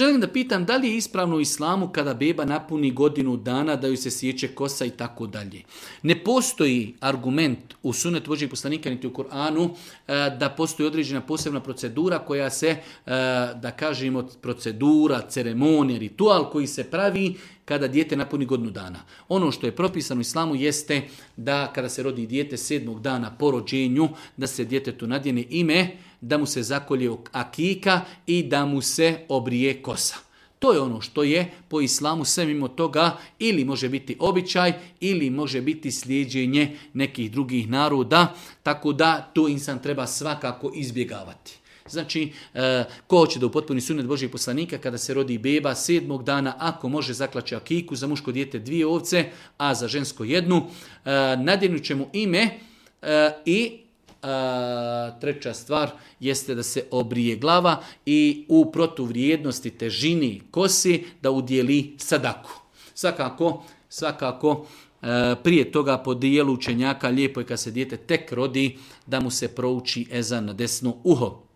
Želim da pitam da li je ispravno u islamu kada beba napuni godinu dana da ju se sjeće kosa i tako dalje. Ne postoji argument u sunnetu Božjeg poslanika niti u Kur'anu da postoji određena posebna procedura koja se, da kažemo, procedura, ceremonija, ritual koji se pravi kada dijete napuni godinu dana. Ono što je propisano u islamu jeste da kada se rodi dijete 7. dana po rođenju, da se djetetu nadjene ime, da mu se zakolje akika i da mu se obrije kosa. To je ono što je po islamu, sve mimo toga ili može biti običaj ili može biti slijeđenje nekih drugih naroda, tako da to insan treba svakako izbjegavati. Znači, ko hoće da upotpuni sunnet Božjeg poslanika kada se rodi beba 7. dana, ako može zaklaće akiku, za muško dijete 2 ovce, a za žensko 1, nadjenut će mu ime i treća stvar jeste da se obrije glava i u protuvrijednosti težini kosi da udjeli sadaku. Svakako prije toga po dijelu učenjaka lijepo je kad se dijete tek rodi da mu se prouči ezan na desno uho.